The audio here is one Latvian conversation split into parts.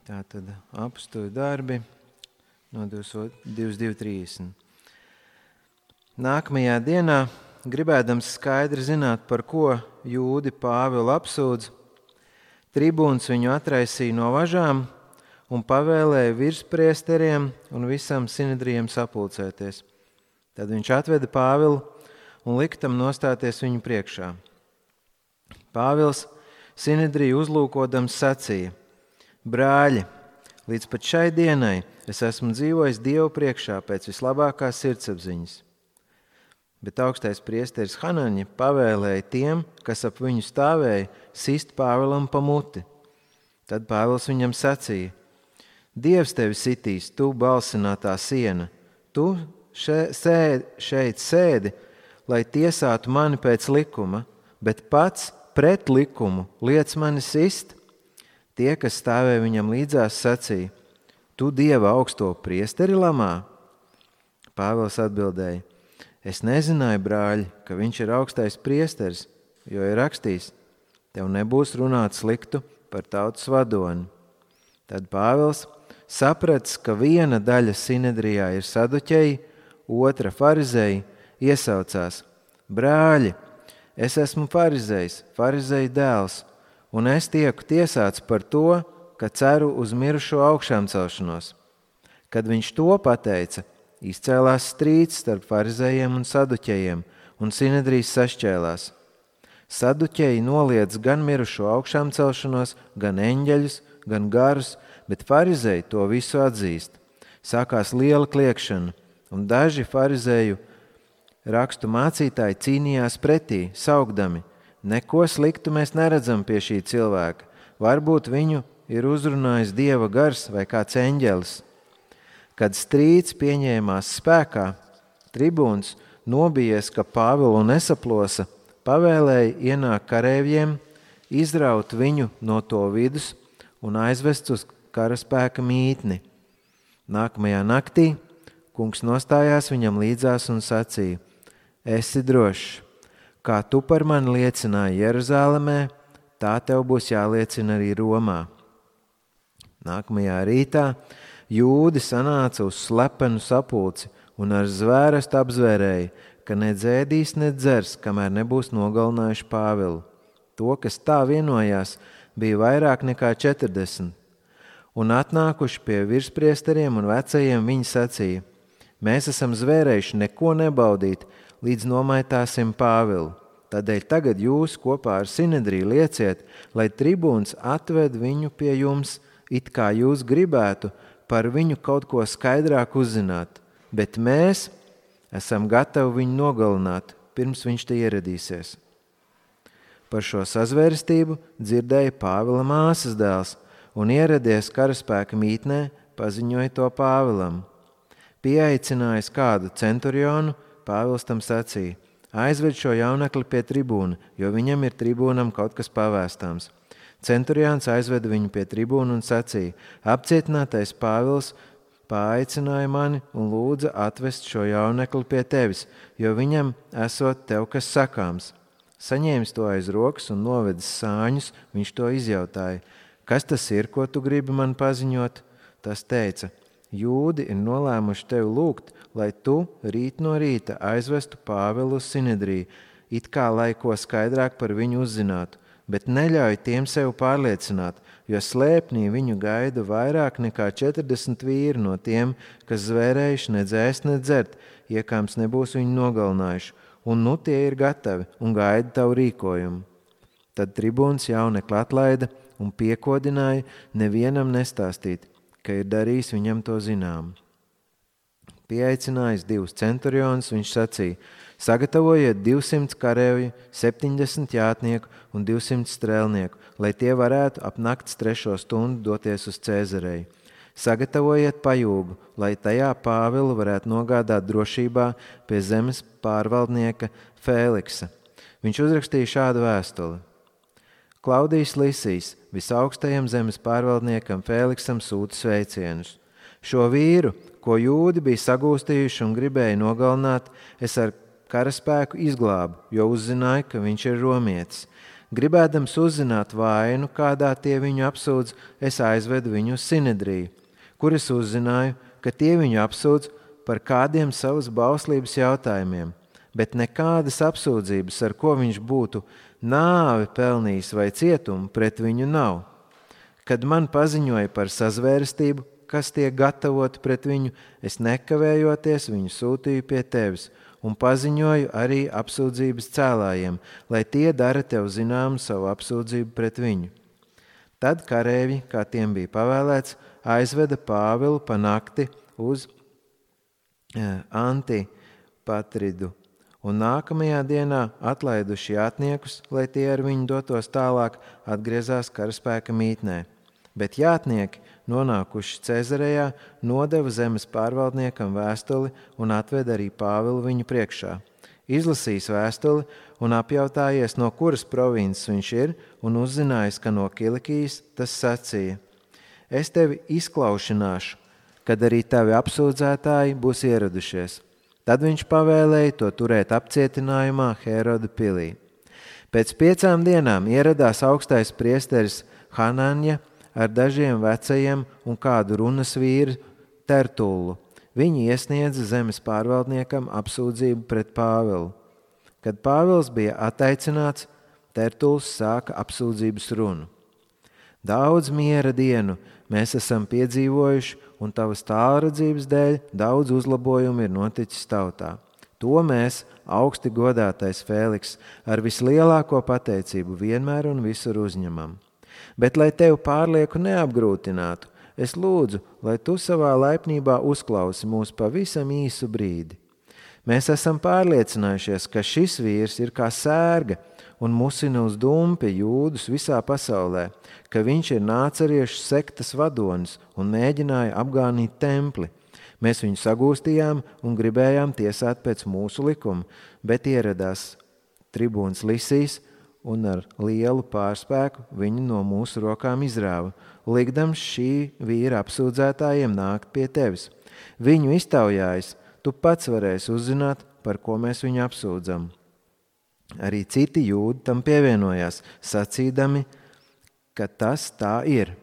Tātad apstuļu darbi no 22.30. Nākamajā dienā, gribēdams skaidri zināt, par ko jūdi Pāvilu apsūdz, tribūns viņu atraisīja no važām un pavēlēja virspriesteriem un visam sinedrijam sapulcēties. Tad viņš atveda Pāvilu un lika tam nostāties viņu priekšā. Pāvils sinedriju uzlūkodams sacīja: Brāļi, līdz pat šai dienai es esmu dzīvojis Dievu priekšā pēc vislabākās sirdsapziņas. Bet augstais priesteris Hanaņa pavēlēja tiem, kas ap viņu stāvēja, sist Pāvilam pa muti. Tad Pāvils viņam sacīja: Dievs tevi sitīs, tu balsinātā siena, tu šeit sēdi, lai tiesātu mani pēc likuma, bet pats pret likumu liec mani sist. Tie, kas stāvēja viņam līdzās, sacīja: Tu Dieva augsto priesteri lamā? Pāvils atbildēja: Es nezināju, brāļi, ka viņš ir augstais priesteris, jo ir rakstīts: Tev nebūs runāt sliktu par tautas vadoni. Tad Pāvils, sapratis, ka viena daļa sinedrijā ir saduķeji, otra farizēji, iesaucās: Brāļi, es esmu farizējs, farizeju dēls, un es tieku tiesāts par to, ka ceru uz mirušo augšām celšanos. Kad viņš to pateica, izcēlās strīds starp farizējiem un saduķejiem, un sinedrijs sašķēlās. Saduķeji noliedz gan mirušo augšām celšanos, gan eņģeļus, gan garus, bet farizēji to visu atzīst. Sākās liela kliekšana, un daži farizēju rakstu mācītāji cīnījās pretī, saukdami: Neko sliktu mēs neredzam pie šī cilvēka. Varbūt viņu ir uzrunājis Dieva gars vai kāds eņģelis. Kad strīds pieņēmās spēkā, tribūns, nobijies, ka Pāvilu nesaplosa, pavēlēja ienākt kareivjiem, izraut viņu no to vidus un aizvest uz karaspēka mītni. Nākamajā naktī kungs nostājās viņam līdzās un sacīja: Esi drošs, kā tu par mani liecināji Jeruzālemē, tā tev būs jāliecina arī Romā. Nākamajā rītā jūdi sanāca uz slepenu sapulci un ar zvērestu apzvērēja, ka ne dzēdīs, ne dzers, kamēr nebūs nogalinājuši Pāvilu. To, kas tā vienojās, bija vairāk nekā 40. Un atnākuši pie virspriesteriem un vecajiem, viņi sacīja: Mēs esam zvērējuši neko nebaudīt, līdz nomaitāsim Pāvilu. Tādēļ tagad jūs kopā ar sinedriju lieciet, lai tribūns atved viņu pie jums, it kā jūs gribētu par viņu kaut ko skaidrāk uzzināt, bet mēs esam gatavi viņu nogalināt, pirms viņš te ieradīsies. Par šo sazvērstību dzirdēja Pāvila māsas dēls un ieradies karaspēka mītnē, paziņoja to Pāvilam. Pieaicinājis kādu centurionu, Pāvils tam sacīja: Aizved šo jaunekli pie tribūna, jo viņam ir tribūnam kaut kas pavēstāms. Centurions aizveda viņu pie tribūna un sacīja: Apcietinātais Pāvils paaicināja mani un lūdza atvest šo jaunekli pie tevis, jo viņam esot tev kas sakāms. Saņēmis to aiz rokas un novedis sāņus, viņš to izjautāja: Kas tas ir, ko tu gribi man paziņot? Tas teica: Jūdi ir nolēmuši tevi lūgt, lai tu rīt no rīta aizvestu Pāvilu uz sinedriju, it kā lai ko skaidrāk par viņu uzzinātu, bet neļauj tiem sev pārliecināt, jo slēpnī viņu gaida vairāk nekā 40 vīri no tiem, kas zvērējuši nedz ēst, nedz dzert, iekāms nebūs viņu nogalinājuši, un nu tie ir gatavi un gaida tavu rīkojumu. Tad tribūns jaunekli atlaida un piekodināja nevienam nestāstīt, ka ir darījis viņam to zinām. Pieaicinājis 2 centurionus, viņš sacīja: Sagatavojiet 200 kareivju, 70 jātnieku un 200 strēlnieku, lai tie varētu ap nakts 3. stundu doties uz Cēzareju. Sagatavojiet pajūgu, lai tajā Pāvilu varētu nogādāt drošībā pie zemes pārvaldnieka Fēliksa. Viņš uzrakstīja šādu vēstuli: Klaudijs Lisijs, visaugstajam zemes pārvaldniekam Fēliksam sūta sveicienus. Šo vīru, ko jūdi bija sagūstījuši un gribēja nogalināt, es ar karaspēku izglābu, jo uzzināju, ka viņš ir romietis. Gribēdams uzzināt vainu, kādā tie viņu apsūdz, es aizvedu viņu uz Sinedriju, kur es uzzināju, ka tie viņu apsūdz par kādiem savas bauslības jautājumiem, bet nekādas apsūdzības, ar ko viņš būtu nāvi pelnījis vai cietumu, pret viņu nav. Kad man paziņoja par sazvērestību, kas tiek gatavota pret viņu, es nekavējoties viņu sūtīju pie tevis un paziņoju arī apsūdzības cēlājiem, lai tie dara tev zināmu savu apsūdzību pret viņu. Tad karēvi, kā tiem bija pavēlēts, aizveda Pāvilu pa nakti uz Antipatridu, un nākamajā dienā atlaiduši jātniekus, lai tie ar viņu dotos tālāk, atgriezās karaspēka mītnē. Bet jātnieki, nonākuši Cezarejā, nodeva zemes pārvaldniekam vēstuli un atveda arī Pāvilu viņu priekšā. Izlasījis vēstuli un apjautājies, no kuras provinces viņš ir, un uzzinājis, ka no Kilikijas, tas sacīja: es tevi izklaušināšu, kad arī tavi apsūdzētāji būs ieradušies. Tad viņš pavēlēja to turēt apcietinājumā Heroda pilī. Pēc 5 dienām ieradās augstais priesteris Hananja ar dažiem vecajiem un kādu runas vīru Tertullu. Viņi iesniedza zemes pārvaldniekam apsūdzību pret Pāvilu. Kad Pāvils bija attaicināts, Tertulls sāka apsūdzības runu. Daudz miera dienu mēs esam piedzīvojuši, un tavas tālredzības dēļ daudz uzlabojumu ir noticis tautā. To mēs, augsti godātais Fēliks, ar vislielāko pateicību vienmēr un visur uzņemam. Bet, lai tevi pārlieku neapgrūtinātu, es lūdzu, lai tu savā laipnībā uzklausi mūs pavisam īsu brīdi. Mēs esam pārliecinājušies, ka šis vīrs ir kā sērga un musina uz dumpi jūdus visā pasaulē, ka viņš ir nāceriešu sektas vadonis un mēģināja apgānīt templi. Mēs viņu sagūstījām un gribējām tiesāt pēc mūsu likuma, bet ieradās tribūns Lisijs un ar lielu pārspēku viņu no mūsu rokām izrāva, likdams šī vīra apsūdzētājiem nākt pie tevis. Viņu iztaujājis, tu pats varēsi uzzināt, par ko mēs viņu apsūdzam. Arī citi jūdi tam pievienojās, sacīdami, ka tas tā ir.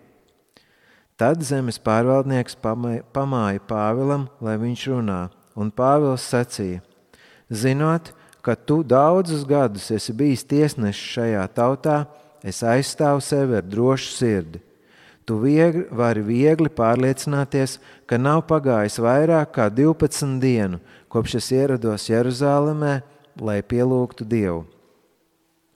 Tad zemes pārvaldnieks pamāja Pāvilam, lai viņš runā, un Pāvils sacīja: zinot, ka tu daudzus gadus esi bijis tiesnesis šajā tautā, es aizstāvu sevi ar drošu sirdi. Tu vari viegli pārliecināties, ka nav pagājis vairāk kā 12 dienu, kopš es ierados Jeruzālēmē, lai pielūgtu Dievu.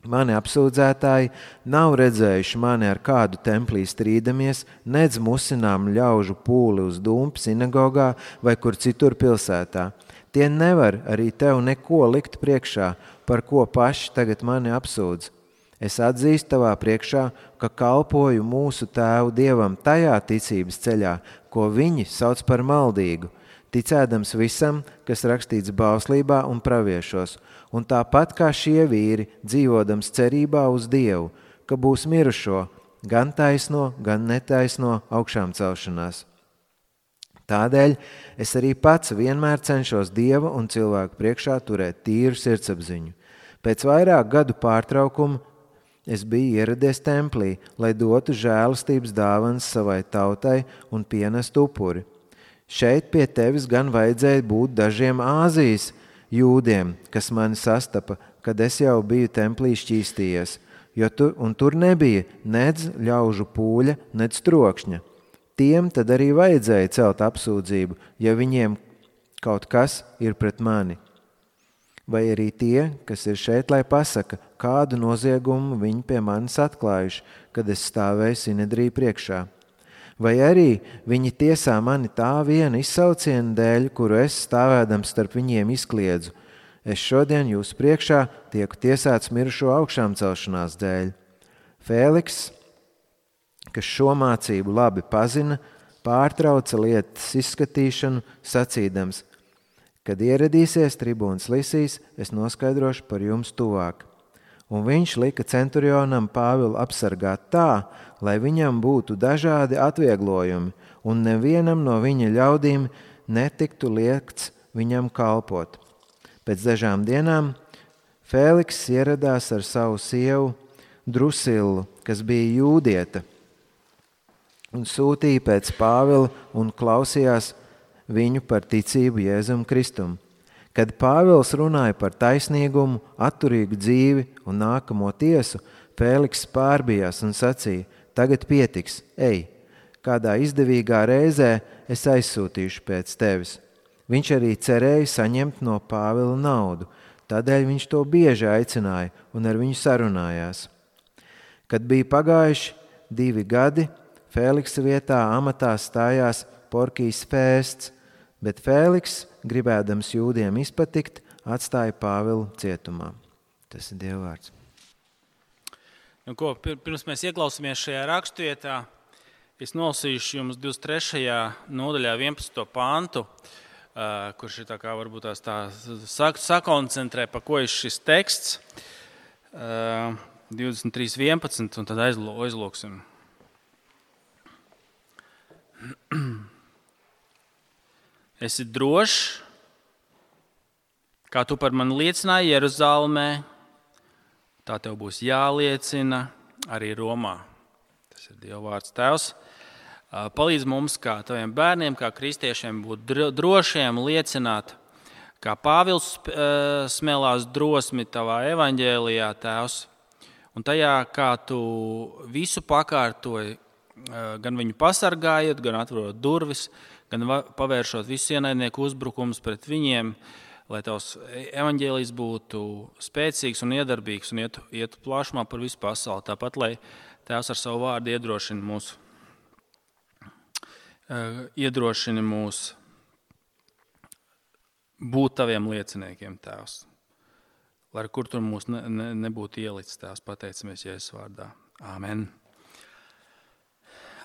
Mani apsūdzētāji nav redzējuši mani ar kādu templī strīdamies, nedz musinām ļaužu pūli uz dumpi sinagogā vai kur citur pilsētā. Tie nevar arī tev neko likt priekšā, par ko paši tagad mani apsūdz. Es atzīstu tavā priekšā, ka kalpoju mūsu tēvu Dievam tajā ticības ceļā, ko viņi sauc par maldīgu, ticēdams visam, kas rakstīts bauslībā un praviešos, un tāpat kā šie vīri, dzīvodams cerībā uz Dievu, ka būs mirušo, gan taisno, gan netaisno augšām celšanās. Tādēļ es arī pats vienmēr cenšos Dieva un cilvēku priekšā turēt tīru sirdsapziņu. Pēc vairāk gadu pārtraukuma es biju ieradies templī, lai dotu žēlastības dāvanas savai tautai un pienestu upuri. Šeit pie tevis gan vajadzēja būt dažiem Āzijas jūdiem, kas mani sastapa, kad es jau biju templī šķīstījies, tur nebija nedz ļaužu pūļa, nedz trokšņa. Tiem tad arī vajadzēja celt apsūdzību, ja viņiem kaut kas ir pret mani. Vai arī tie, kas ir šeit, lai pasaka, kādu noziegumu viņi pie manis atklājuši, kad es stāvēju Sinedriju priekšā. Vai arī viņi tiesā mani tā viena izsauciena dēļ, kuru es stāvēdams starp viņiem izkliedzu. Es šodien jūsu priekšā tieku tiesāts mirušo augšām celšanās dēļ. Fēliks, kas šo mācību labi pazina, pārtrauca lietas izskatīšanu, sacīdams: kad ieradīsies tribūns Lisijs, es noskaidrošu par jums tuvāk. Un viņš lika centurionam Pāvilu apsargāt tā, lai viņam būtu dažādi atvieglojumi, un nevienam no viņa ļaudīm netiktu liekts viņam kalpot. Pēc dažām dienām Fēliks ieradās ar savu sievu Drusilu, kas bija jūdieta, un sūtīja pēc Pāvila un klausījās viņu par ticību Jēzum Kristum. Kad Pāvils runāja par taisnīgumu, atturīgu dzīvi un nākamo tiesu, Fēliks pārbijās un sacīja: tagad pietiks, ej, kādā izdevīgā reizē es aizsūtīšu pēc tevis. Viņš arī cerēja saņemt no Pāvila naudu, tādēļ viņš to bieži aicināja un ar viņu sarunājās. Kad bija pagājuši 2 gadi, Fēliksa vietā amatā stājās Porkijs Fēsts, bet Fēliks, gribēdams jūdiem izpatikt, atstāja Pāvilu cietumā. Tas ir Dieva vārds. Pirms mēs ieklausāmies šajā rakstvietā, es nolasīšu jums 23. nodaļā 11. pantu, kurš ir tā kā varbūt sakoncentrē, pa ko ir šis teksts, 23.11, un tad aizlūksim. Esi drošs, kā tu par mani liecināji Jeruzalemē, tā tev būs jāliecina arī Romā. Tas ir Dieva vārds. Tēvs, palīdz mums, kā taviem bērniem, kā kristiešiem, būt drošiem, liecināt, kā Pāvils smēlās drosmi tavā evaņģēlijā, Tēvs, un tajā, kā tu visu pakārtoji, gan viņu pasargājot, gan atverot durvis, gan pavēršot visus ienaidnieku uzbrukumus pret viņiem, lai tavs evaņģēlijs būtu spēcīgs un iedarbīgs un ietu plašumā par visu pasauli. Tāpat, lai Tēvs ar savu vārdu iedrošini mūs būt taviem lieciniekiem, Tēvs. Lai kur tur mūs nebūtu ielicis, Tēvs, pateicamies Jēzus vārdā. Āmen.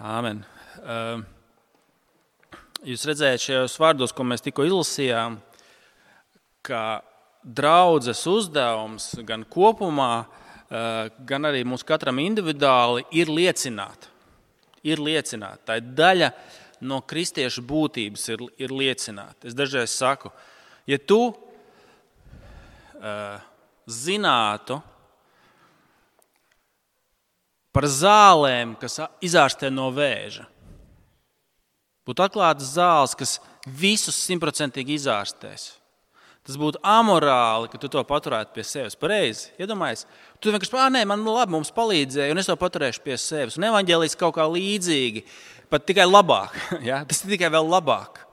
Āmen. Jūs redzējāt šajos vārdos, ko mēs tikko izlasījām, ka draudzes uzdevums gan kopumā, gan arī mums katram individuāli ir liecināt. Ir liecināt. Tā ir daļa no kristiešu būtības ir liecināt. Es dažreiz saku, ja tu zinātu par zālēm, kas izārstē no vēža, būtu atklātas zāles, kas visus 100% izārstēs. Tas būtu amorāli, ka tu to paturētu pie sevis. Pareizi, iedomājies. Tu vienkārši, nē, man labi, mums palīdzēja, un es to paturēšu pie sevis. Un evaņģēlijs kaut kā līdzīgi, pat tikai labāk. Ja? Tas ir tikai vēl labāk.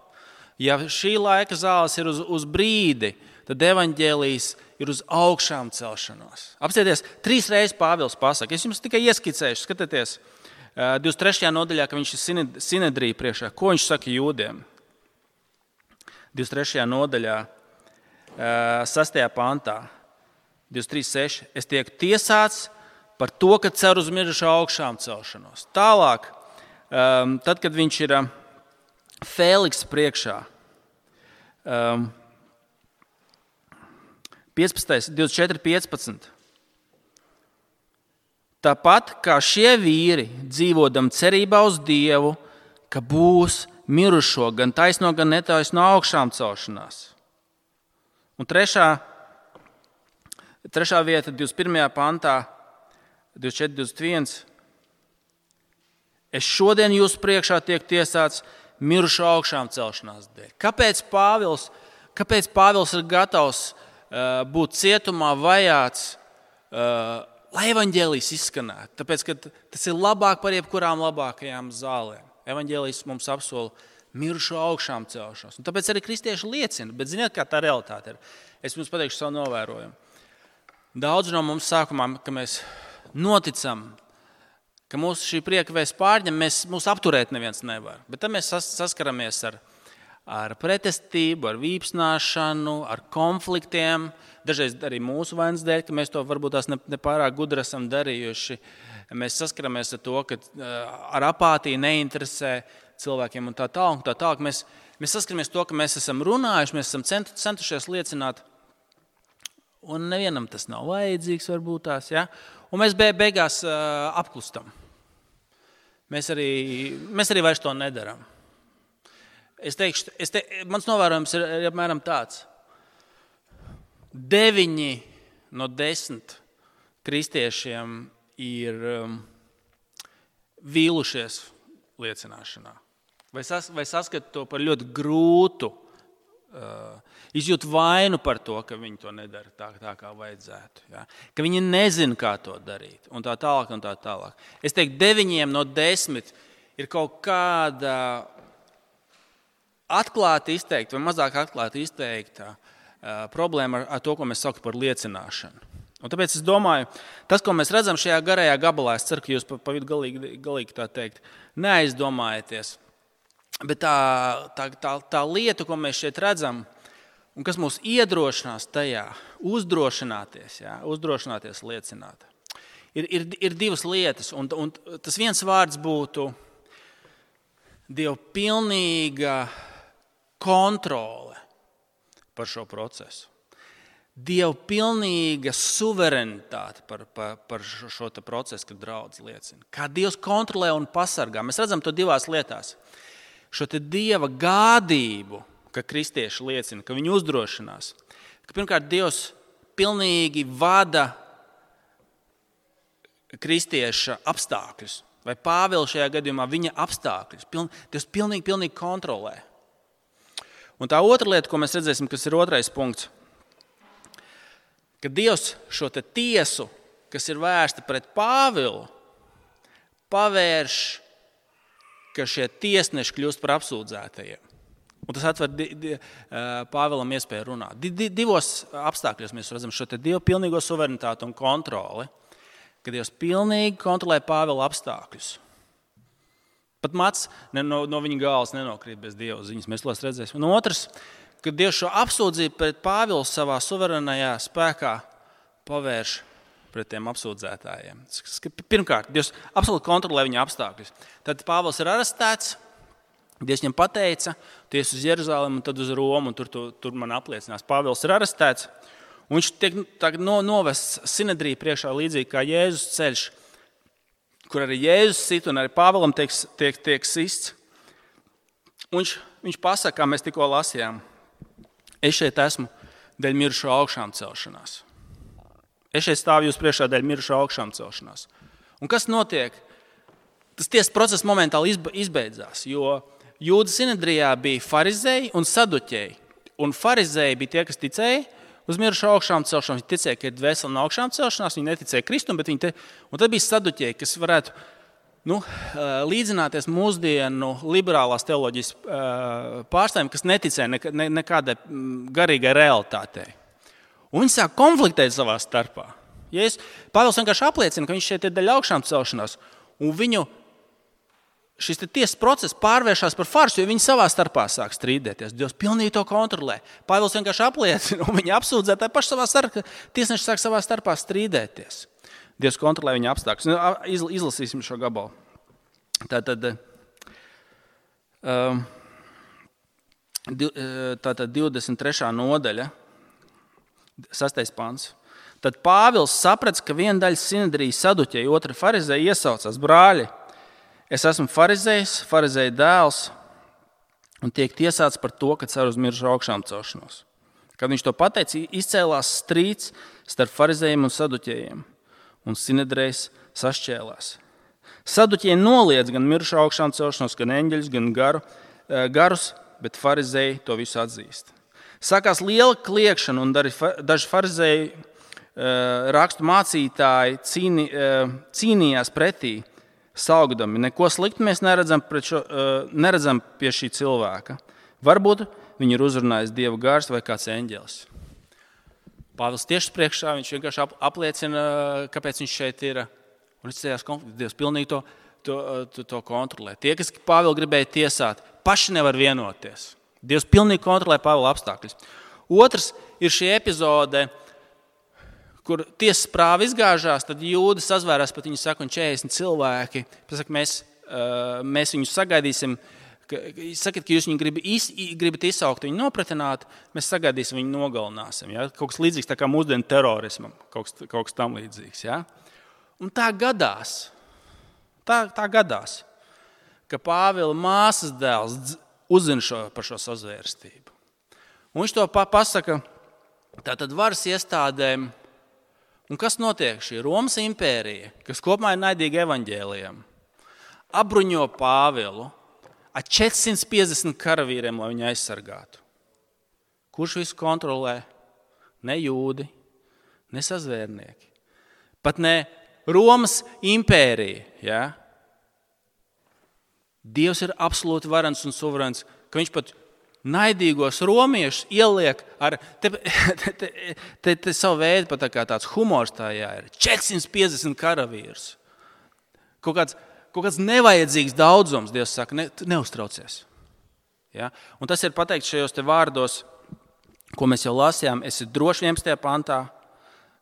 Ja šī laika zāles ir uz brīdi, tad evaņģēlijs ir uz augšām celšanos. Apsieties, 3 reizes Pāvils pasaka. Es jums tikai ieskicēšu, skatieties, 23. nodaļā, ka viņš ir sinedrija priekšā. Ko viņš saka jūdiem? 23. nodaļā. 6. pantā, 23.6. Es tiek tiesāts par to, ka cer uz mirušo augšām celšanos. Tālāk, tad, kad viņš ir Fēliks priekšā, 24.15. Tāpat kā šie vīri, dzīvodam cerībā uz Dievu, ka būs mirušo gan taisno, gan netaisno augšām celšanās. Un trešā vieta, 21. pantā, 24.21. Es šodien jūsu priekšā tiek tiesāts mirušo augšām celšanās dēļ. Kāpēc Pāvils ir gatavs būt cietumā vajāts, lai evaņģēlijs izskanētu? Tāpēc, ka tas ir labāk par jebkurām labākajām zālēm. Evaņģēlijs mums apsola mirušo augšām celšanos. Un tāpēc arī kristieši liecina. Bet ziniet, kā tā realitāte ir? Es jums pateikšu savu novērojumu. Daudz no mums sākumā, ka mēs noticam, ka mūsu šī prieka vēsts pārņem, mūs apturēt neviens nevar. Bet tad mēs saskaramies ar pretestību, ar vīpsnāšanu, ar konfliktiem. Dažreiz arī mūsu vainas dēļ, ka mēs to varbūt tās nepārāk gudri esam darījuši. Mēs saskaramies ar to, ka ar apātiju neinteresē cilvēkiem un tā tālāk. Mēs saskaramies to, ka mēs esam runājuši, mēs esam centušies liecināt, un nevienam tas nav vajadzīgs varbūt tās, ja? Un mēs beigās apklustam. Mēs arī vairs to nedaram. Mans novērojums ir apmēram tāds. 9 no 10 kristiešiem ir vīlušies liecināšanā. Vai saskata to par ļoti grūtu, izjūt vainu par to, ka viņi to nedara tā kā vajadzētu. Ja? Ka viņi nezina, kā to darīt. Un tā tālāk, un tā tālāk. Es teiktu, 9 no 10 ir kaut kāda atklāti izteikta vai mazāk atklāti izteikta problēma ar to, ko mēs saucam par liecināšanu. Un tāpēc es domāju, tas, ko mēs redzam šajā garajā gabalā, es ceru, ka jūs pa vidu galīgi tā teikt, neaizdomājieties. Bet tā lieta, ko mēs šeit redzam, un kas mūs iedrošinās tajā, uzdrošināties liecināt, ir 2 lietas. Un tas viens vārds būtu Dieva pilnīga kontrole par šo procesu. Dieva pilnīga suverenitāte par šo procesu, kad draudz liecina. Kā Dievs kontrolē un pasargā. Mēs redzam to 2 lietās. Šo te Dieva gādību, ka kristieši liecina, ka viņi uzdrošinās. Ka pirmkārt, Dievs pilnīgi vada kristieša apstākļus. Vai Pāvila šajā gadījumā viņa apstākļus. Dievs pilnīgi kontrolē. Un tā otra lieta, ko mēs redzēsim, kas ir 2. punkts, ka Dievs šo te tiesu, kas ir vērsta pret Pāvilu, pavērš, ka šie tiesneši kļūst par apsūdzētajiem. Un tas atver Pāvilam iespēju runāt. 2 apstākļos mēs redzam šo te Dievu pilnīgo suverenitāti un kontroli, ka Dievs pilnīgi kontrolē Pāvila apstākļus. Pat mats no viņa galvas nenokrīt bez Dieva ziņas, mēs to redzēsim. Un otrs, ka Dievs šo apsūdzību pret Pāvilu savā suverenajā spēkā pavērš pret tiem apsūdzētājiem. Pirmkārt, Dievs absolūti kontrolē viņa apstākļus. Tad Pāvils ir arestēts, Dievs viņam pateica, tu ies uz Jeruzalemi un tad uz Romu, un tur man apliecinās. Pāvils ir arestēts, un viņš tiek novests Sinedrija priekšā līdzīgi kā Jēzus ceļš, kur arī Jēzus sit un arī Pāvilam tiek sists. Un viņš pasaka, kā mēs tikko lasījām, es šeit esmu dēļ mirušo augšām celšanās. Es šeit stāvu jūs priekšā dēļ mirušo augšām celšanās. Un kas notiek? Tas tiesas process momentāli izbeidzās, jo Jūda Sinedrijā bija farizēji un saduķēji. Un farizēji bija tie, kas ticēja uz mirušo augšām celšanos. Viņi ticēja, ka ir dvēsele no augšām celšanās, viņi neticēja Kristum, bet un tad bija saduķēji, kas varētu līdzināties mūsdienu liberālās teoloģijas pārstāvjiem, kas neticēja nekādai garīgai realitātei. Un viņi sāk konfliktēt savā starpā. Pāvils vienkārši apliecina, ka viņš šeit ir daļa augšām celšanās, un viņu šis tiesas process pārvēršās par farsu, jo viņi savā starpā sāk strīdēties. Dievs pilnīgi to kontrolē. Pāvils vienkārši apliecina, un viņi apsūdzētāji paši savā starpā, tiesneši sāk savā starpā strīdēties. Dievs kontrolē viņa apstākļus. Izlasīsim šo gabalu. Tātad 23. nodaļa, 6. pants. Tad Pāvils saprats, ka viena daļa Sinedrijas saduķēji, otra farizēji iesaucās: brāļi, es esmu farizējs, farizēja dēls, un tiek tiesāts par to, ka cer uz mirušo augšām celšanos. Kad viņš to pateica, izcēlās strīds starp farizējiem un saduķējiem, un Sinedrijs sašķēlās. Saduķēji noliedz gan mirušo augšām celšanos, gan eņģeļus, gan garus, bet farizēji to visu atzīst. Sākās liela kliekšana, un daži farizēji rakstu mācītāji cīnījās pretī, saugdami: neko sliktu mēs neredzam pie šī cilvēka. Varbūt viņu ir uzrunājis Dieva gars vai kāds eņģelis. Pāvils tieši priekšā, viņš vienkārši apliecina, kāpēc viņš šeit ir. Un viņš cējās konflikts. Dievs pilnīgi to kontrolē. Tie, kas Pāvilu gribēja tiesāt, paši nevar vienoties. Dievs pilnīgi kontrolē Pāvila apstākļus. Otrs ir šī epizode, kur tiesas prāva izgāžās, tad jūdi sazvērās pat viņu saka, un 40 cilvēki. Pasaka, mēs viņus sagaidīsim. Sakat, ka jūs viņu gribat izsaukt, viņu nopratināt, mēs sagaidīsim, viņu nogalināsim. Ja? Kaut kas līdzīgs tā kā mūsdienu terorismam, kaut kas tam līdzīgs. Ja? Un tā gadās, ka Pāvila māsas dēls uzzina par šo sazvērstību. Un viņš to pasaka tātad varas iestādēm Un kas notiek? Šī Romas impērija, kas kopumā ir naidīga evaņģēlijam, apbruņo Pāvilu ar 450 karavīriem, lai viņu aizsargātu. Kurš visu kontrolē? Ne jūdi, ne sazvērnieki. Pat ne Romas impērija. Ja? Dievs ir absolūti varens un suverēns, ka viņš pat naidīgos romiešus ieliek ar te savu veidu, pat tāds humors tajā ir. 450 karavīrus. Kaut kāds nevajadzīgs daudzums, Dievs saka, neuztraucies. Ja? Un tas ir pateikts šajos te vārdos, ko mēs jau lasījām. Esi droši 11. pantā,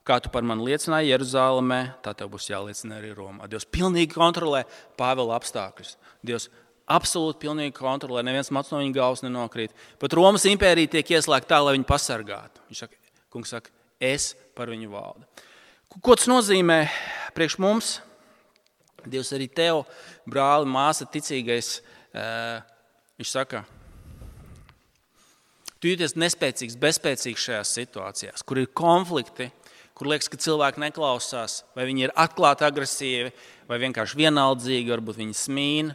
kā tu par mani liecināji Jeruzālēmē, tā tev būs jāliecina arī Romā. Dievs pilnīgi kontrolē Pāvila apstākļus. Dievs absolūti pilnīgi kontrolē, neviens mats no viņa galvas nenokrīt. Pat Romas impērija tiek ieslēgta tā, lai viņu pasargātu. Kungs saka, es par viņu valdu. Ko tas nozīmē priekš mums? Dievs arī tev, brāli, māsa, ticīgais, viņš saka, tu jūties nespēcīgs, bezspēcīgs šajās situācijās, kur ir konflikti, kur liekas, ka cilvēki neklausās, vai viņi ir atklāti agresīvi, vai vienkārši vienaldzīgi, varbūt viņi smīna.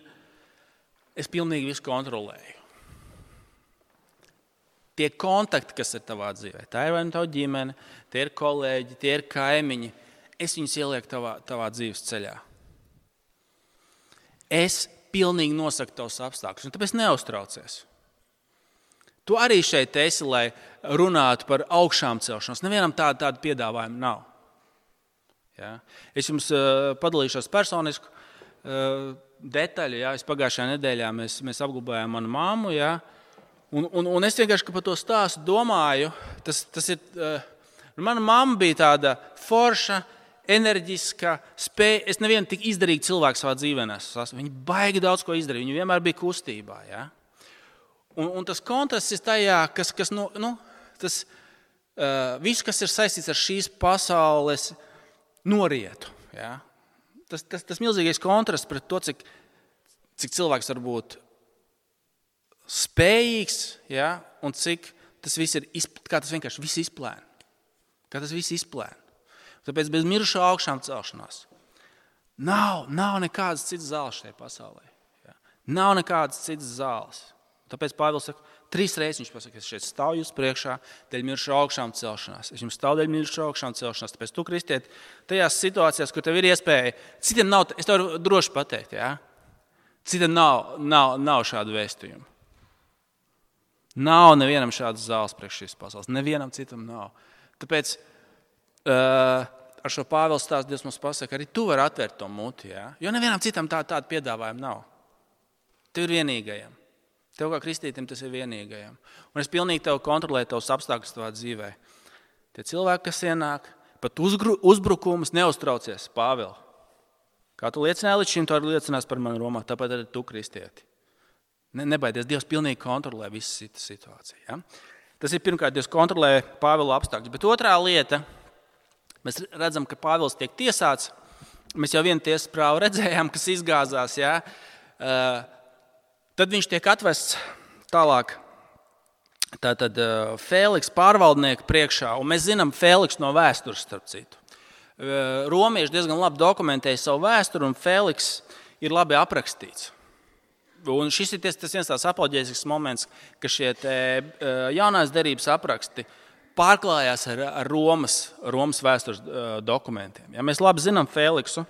Es pilnīgi visu kontrolēju. Tie kontakti, kas ir tavā dzīvē, tā ir vai nu tava ģimene, tie ir kolēģi, tie ir kaimiņi, es viņus ielieku tavā dzīves ceļā. Es pilnīgi nosaku tavus apstākļus, un tāpēc neuztraucies. Tu arī šeit esi, lai runātu par augšām celšanos. Nevienam tādu piedāvājumu nav. Ja? Es jums padalīšos personisku detaļu. Ja? Pagājušajā nedēļā mēs apglabājām manu mammu. Ja? Un es vienkārši par to stāstu domāju. Tas ir, mana mamma bija tāda forša, enerģiska, spēja. Es nevienu tik izdarīgu cilvēku savā dzīvē nesu. Viņa baigi daudz ko izdarīja. Viņa vienmēr bija kustībā. Ja? Un tas kontrasts ir tajā, kas tas viss, kas ir saistīts ar šīs pasaules norietu. Ja? Tas milzīgais kontrasts pret to, cik cilvēks var būt spējīgs, ja? Un cik tas viss ir, kā tas vienkārši viss izplēna. Kā tas viss izplēna. Tāpēc bez mirušā augšām celšanās nav nekādas citas zāles šajā pasaulē. Ja? Nav nekādas citas zāles. Tāpēc Pāvils saka, 3 reizes viņš pasaka, es šeit stāvu jūs priekšā dēļ mirušā augšām celšanās. Es jums stāvu dēļ mirušā augšām celšanās. Tāpēc tu, kristiet, tajās situācijās, kur tev ir iespēja, citiem nav, es tev varu droši pateikt, ja? Citiem nav šādu vēstījumu. Nav nevienam šādas zāles priekš šīs pasaules. Nevienam citam nav. Tāpēc ar šo Pāvila stāstu Dievs mums pasaka, arī tu vari atvērt to muti, ja? Jo nevienam citam tādu piedāvājumu nav. Tev ir vienīgajam. Tev kā kristītim tas ir vienīgajam. Un es pilnīgi tev kontrolēju tavus apstākļus tavā dzīvē. Tie cilvēki, kas ienāk, pat uzbrukumus neuztraucies, Pāvils. Kā tu liecināji līdz šim, tu arī liecinās par mani Romā, tāpēc arī tu, kristieti. Nebaidies, Dievs pilnīgi kontrolē visu situāciju. Ja? Tas ir pirmkārt, Dievs kontrolē Pāvila apstākļus. Bet otrā lieta, mēs redzam, ka Pāvils tiek tiesāts. Mēs jau vienu tiesas prāvu redzējām, kas izgāzās, ja? Tad viņš tiek atvests tālāk tātad Fēliks pārvaldnieku priekšā, un mēs zinām Fēliks no vēstures, starp citu. Romieši diezgan labi dokumentēja savu vēsturi, un Fēliks ir labi aprakstīts. Un šis ir tas viens tās apoloģētisks moments, ka šie jaunās derības apraksti pārklājās ar Romas vēstures dokumentiem. Ja, mēs labi zinām Fēliksu,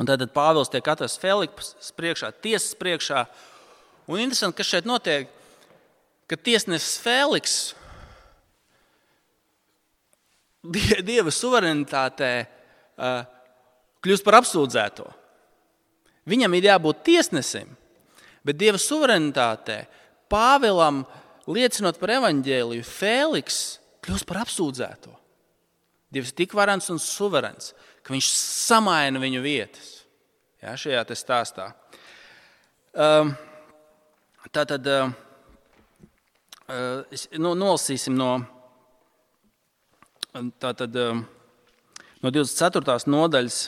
un tad Pāvils tiek atvests Fēliks priekšā, tiesas priekšā. Un interesanti, kas šeit notiek, ka tiesnesis Fēliks Dieva suverenitātē kļūst par apsūdzēto. Viņam ir jābūt tiesnesim, bet Dieva suverenitātē Pāvilam liecinot par evaņģēliju, Fēliks kļūst par apsūdzēto. Dievs ir tik varens un suverens, ka viņš samaina viņu vietas. Ja, šajā te stāstā. Tātad nolasīsim no 24. nodaļas.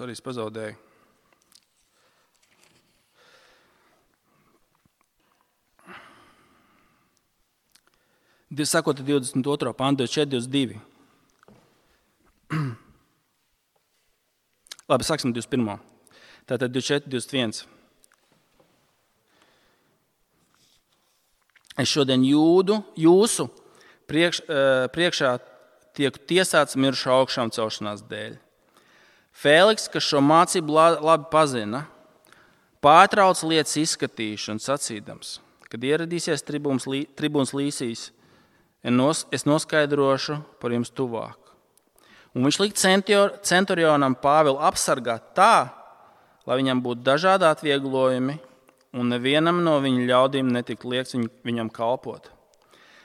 Es pazaudēju. Sakot 22. pantu, 24, 22. Labi, sāksim 21. Tātad 24, 21. Es šodien jūsu priekšā tiek tiesāts mirušu augšām celšanās dēļ. Fēliks, kas šo mācību labi pazina, pārtrauc lietas izskatīšanu sacīdams, kad ieradīsies tribūns Līsijs, es noskaidrošu par jums tuvāk. Un viņš lika centurionam Pāvilu apsargāt tā, lai viņam būtu dažādi atvieglojumi, un nevienam no viņa ļaudīm netika liekts viņam kalpot.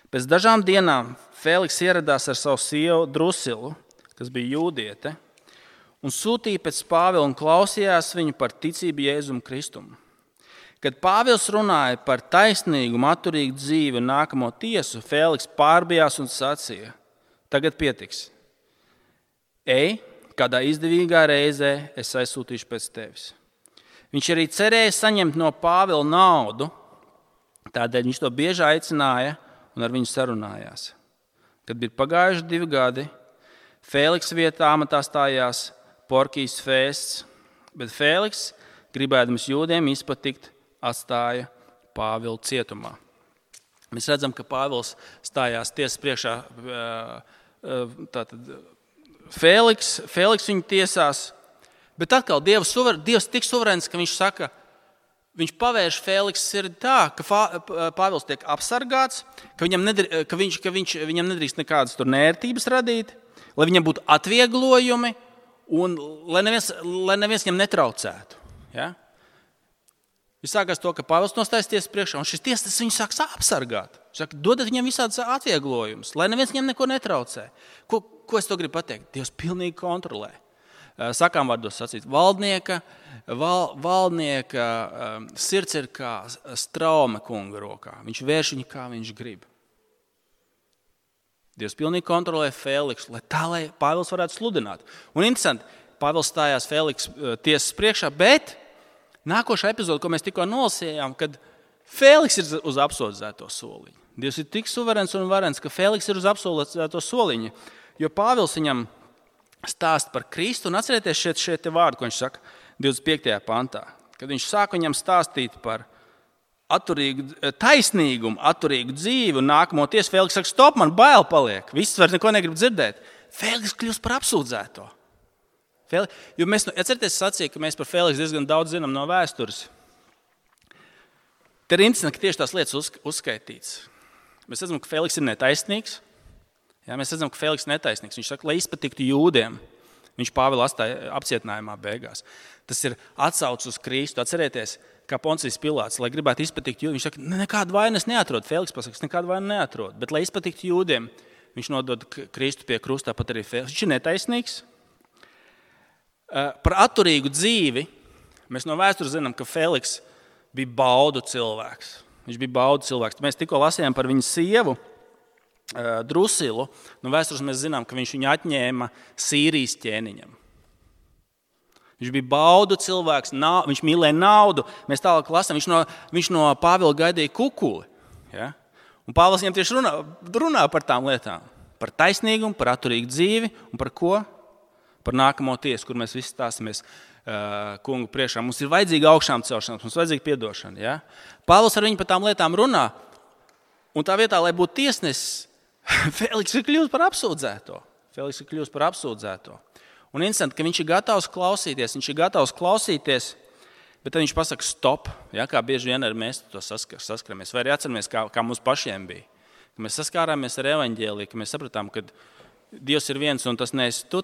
Pēc dažām dienām Fēliks ieradās ar savu sievu Drusilu, kas bija jūdiete, un sūtīja pēc Pāvila un klausījās viņu par ticību Jēzum Kristum. Kad Pāvils runāja par taisnīgu, atturīgu dzīvi un nākamo tiesu, Fēliks pārbijās un sacīja: tagad pietiks. Ej, kādā izdevīgā reizē es aizsūtīšu pēc tevis. Viņš arī cerēja saņemt no Pāvila naudu, tādēļ viņš to bieži aicināja un ar viņu sarunājās. Kad bija pagājuši 2 gadi, Fēliks vietā amatā stājās Porkijs Fests, bet Fēliks, gribēdams jūdiem izpatikt, atstāja Pāvilu cietumā. Mēs redzam, ka Pāvils stājās tiesas priekšā. Fēliks viņu tiesās, bet atkal Dievs tik suverēns, ka viņš saka, viņš pavērš Fēliksa sirdi tā, ka Pāvils tiek apsargāts, ka viņam nedrīkst nekādas tur nērtības radīt, lai viņam būtu atvieglojumi un lai neviens viņam netraucētu. Ja? Viņš sākās to, ka Pāvils nostājas tiesas priekšā, un šis tiesas viņu sāks apsargāt. Viņš saka, dodat viņam visādas atvieglojumus, lai neviens viņam neko netraucē. Ko es to gribu pateikt? Dievs pilnīgi kontrolē. Sakām vārdos sacīt, valdnieka sirds ir kā Straume kunga rokā. Viņš vērš viņu, kā viņš grib. Dievs pilnīgi kontrolē Fēliksu, lai Pāvils varētu sludināt. Un interesanti, Pāvils stājās Fēliks tiesas priekšā, bet nākošā epizode, ko mēs tikko nolasījām, kad Fēliks ir uz apsūdzēto soliņu. Dievs ir tik suverēns un varens, ka Fēliks ir uz apsūdzēto soliņu, jo Pāvils viņam stāsta par Kristu, un atcerieties šeit vārdu, ko viņš saka 25. pantā, kad viņš sāk viņam stāstīt par taisnīgumu, atturīgu dzīvi un nākamo tiesu. Fēliks saka, stop, man bail paliek, viss vairs neko negrib dzirdēt. Fēliks kļūst par apsūdzēto. Jo mēs, atcerieties, sacīja, ka mēs par Fēliksu diezgan daudz zinām no vēstures. Te ir interesanti, ka tieši tās lietas uzskaitīts. Mēs redzam, ka Fēliks ir netaisnīgs. Jā, mēs redzam, ka Fēliks ir netaisnīgs. Viņš saka, lai izpatiktu jūdiem. Viņš Pāvilu atstāja apcietinājumā beigās. Tas ir atsaucis uz Kristu. Atcerieties, kā Poncijs Pilāts, lai gribētu izpatikt jūdiem. Viņš saka, nekādu vainas neatrod. Fēliks pasaka, nekādu vainu neatrod. Bet, lai izpatiktu jūdiem, viņš nodod Kristu pie krusta, pat arī Fēliks. Viņš ir netaisnīgs. Par atturīgu dzīvi mēs no vēstures zinām, ka Fēliks bija baudu cilvēks. Viņš bija baudu cilvēks. Mēs tikko lasījām par viņa sievu Drusilu. No vēstures mēs zinām, ka viņš viņu atņēma Sīrijas ķēniņam. Viņš bija baudu cilvēks, viņš mīlēja naudu. Mēs tālāk lasām, viņš no Pāvila gaidīja kukuli. Ja? Un Pāvils viņam tieši runā par tām lietām. Par taisnīgumu, par atturīgu dzīvi un par ko? Par nākamo tiesu, kur mēs visi stāsimies kungu priekšā. Mums ir vajadzīga augšām celšanās, mums ir vajadzīga piedošana. Ja? Pāvils ar viņu par tām lietām runā. Un tā vietā, lai būtu tiesnesis, Fēliks ir kļūst par apsūdzēto. Un interesanti, ka viņš ir gatavs klausīties, bet tad viņš pasaka stop, ja? Kā bieži vien arī mēs to saskaramies. Vai arī atceramies, kā mums pašiem bija. Ka mēs saskārāmies ar evaņģēliju, ka mēs sapratām, ka Dievs ir viens un tas neesi tu.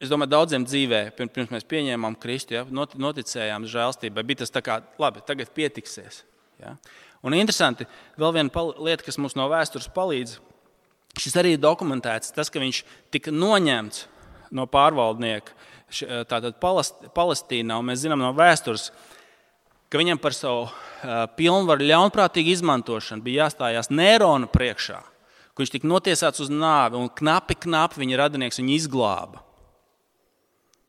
Es domāju, daudziem dzīvē, pirms mēs pieņēmām Kristu, ja, noticējām žēlstībai, bija tas tā kā, labi, tagad pietiksies. Ja. Un interesanti, vēl viena lieta, kas mums no vēstures palīdz, šis arī ir dokumentēts, tas, ka viņš tika noņemts no pārvaldnieka tātad Palestīnā, un mēs zinām no vēstures, ka viņam par savu pilnvaru ļaunprātīgu izmantošanu bija jāstājās Nērona priekšā, ka viņš tika notiesāts uz nāvi, un knapi viņa radinieks viņu izglāba.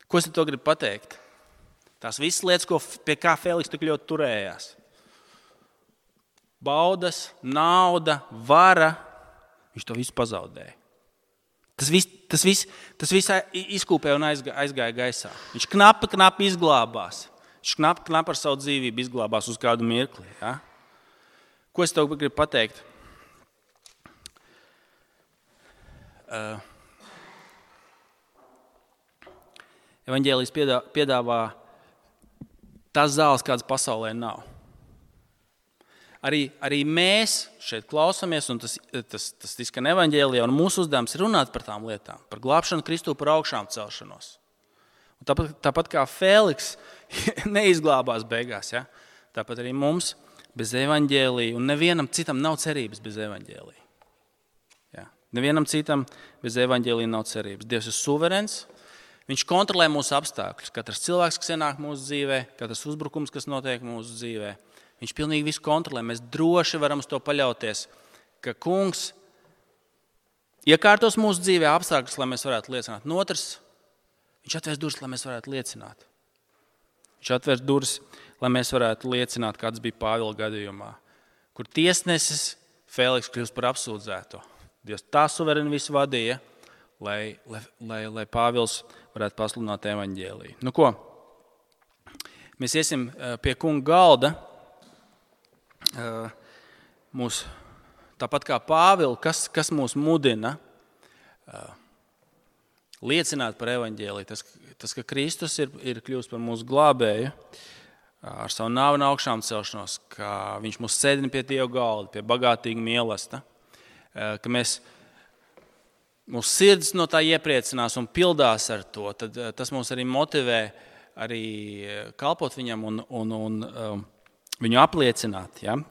Ko es to gribu pateikt? Tās visas lietas, pie kā Fēliks tik ļoti turējās. baudas, nauda, vara, viņš to visu pazaudēja. Tas viss izkūpēja un aizgāja gaisā. Viņš knapi izglābās. Viņš knapi ar savu dzīvību izglābās uz kādu mirkli. Ja? Ko es tev gribu pateikt? Evaņģēlijs piedāvā tās zāles, kādas pasaulē nav. Arī mēs šeit klausamies, un tas izskan evaņģēlijā, un mūsu uzdevums ir runāt par tām lietām, par glābšanu Kristu, par augšām celšanos. Un tāpat kā Fēliks neizglābās beigās, ja? Tāpat arī mums bez evaņģēlija, un nevienam citam nav cerības bez evaņģēlija. Ja? Nevienam citam bez evaņģēlija nav cerības. Dievs ir suverens, viņš kontrolē mūsu apstākļus. Katrs cilvēks, kas ienāk mūsu dzīvē, katrs uzbrukums, kas notiek mūsu dzīvē, viņš pilnīgi visu kontrolē. Mēs droši varam uz to paļauties, ka Kungs iekārtos mūsu dzīvē apstākļus, lai mēs varētu liecināt. Un otrs, viņš atvērs durvis, lai mēs varētu liecināt. Viņš atvērs durvis, lai mēs varētu liecināt, kāds bija Pāvila gadījumā, kur tiesnesis Fēliks kļūst par apsūdzēto. Dievs tā suvereni visu vadīja, lai Pāvils varētu pasludināt evaņģēliju. Nu ko? Mēs iesim pie kunga galda. Tāpat kā Pāvila, kas mūs mudina liecināt par evaņģēliju, tas, ka Kristus ir kļūst par mūsu glābēju ar savu nāvi un augšām celšanos, ka viņš mūs sēdina pie Dieva galda, pie bagātīga mīlesta, ka mūsu sirds no tā iepriecinās un pildās ar to, tad tas mūs arī motivē arī kalpot viņam un viņu apliecināt. Ja?